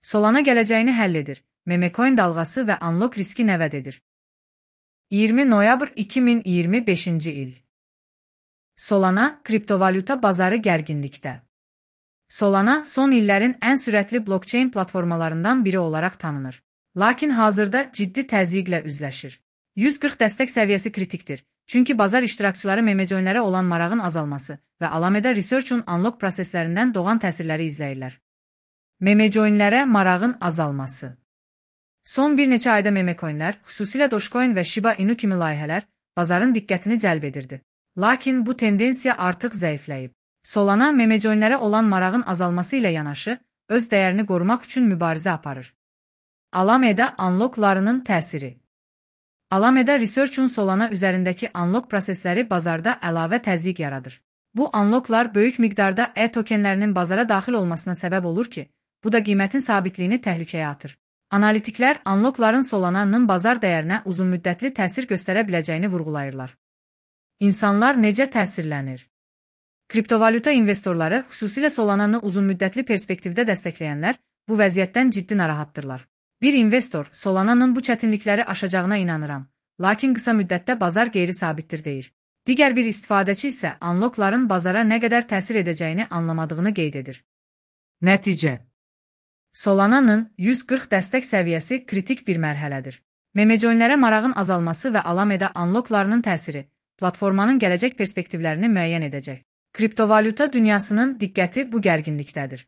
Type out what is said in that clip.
Solana gələcəyini həll edir. Memecoin dalğası və unlock riski nəvəd edir. 20 noyabr 2025-ci il. Solana, kriptovalyuta bazarı gərginlikdə. Solana, son illərin ən sürətli blockchain platformalarından biri olaraq tanınır. Lakin hazırda ciddi təzyiqlə üzləşir. 140 dəstək səviyyəsi kritikdir. Çünki bazar iştirakçıları memecoinlərə olan marağın azalması və Alameda Research'un unlock proseslərindən doğan təsirləri izləyirlər. Memecoinlərə marağın azalması. Son bir neçə ayda memecoinlər, xüsusilə Dogecoin və Shiba Inu kimi layihələr, bazarın diqqətini cəlb edirdi. Lakin bu tendensiya artıq zəifləyib. Solana, memecoinlərə olan marağın azalması ilə yanaşı, öz dəyərini qorumaq üçün mübarizə aparır. Alameda unlocklarının təsiri. Alameda Research'un Solana üzərindəki unlock prosesləri bazarda əlavə təzyiq yaradır. Bu unlocklar böyük miqdarda tokenlərinin bazara daxil olmasına səbəb olur ki, bu da qiymətin sabitliyini təhlükəyə atır. Analitiklər unlockların Solana'nın bazar dəyərinə uzunmüddətli təsir göstərə biləcəyini vurğulayırlar. İnsanlar necə təsirlənir? Kriptovalyuta investorları, xüsusilə Solana'nı uzunmüddətli perspektivdə dəstəkləyənlər, bu vəziyyətdən ciddi narahatdırlar. Bir investor, Solana'nın bu çətinlikləri aşacağına inanıram, lakin qısa müddətdə bazar qeyri-sabitdir deyir. Digər bir istifadəçi isə unlockların bazara nə qədər təsir edəcəyini anlamadığını qeyd edir. Nəticə. Solana'nın 140 dəstək səviyyəsi kritik bir mərhələdir. Memecoinlərə marağın azalması və Alameda unlocklarının təsiri, platformanın gələcək perspektivlərini müəyyən edəcək. Kriptovalyuta dünyasının diqqəti bu gərginlikdədir.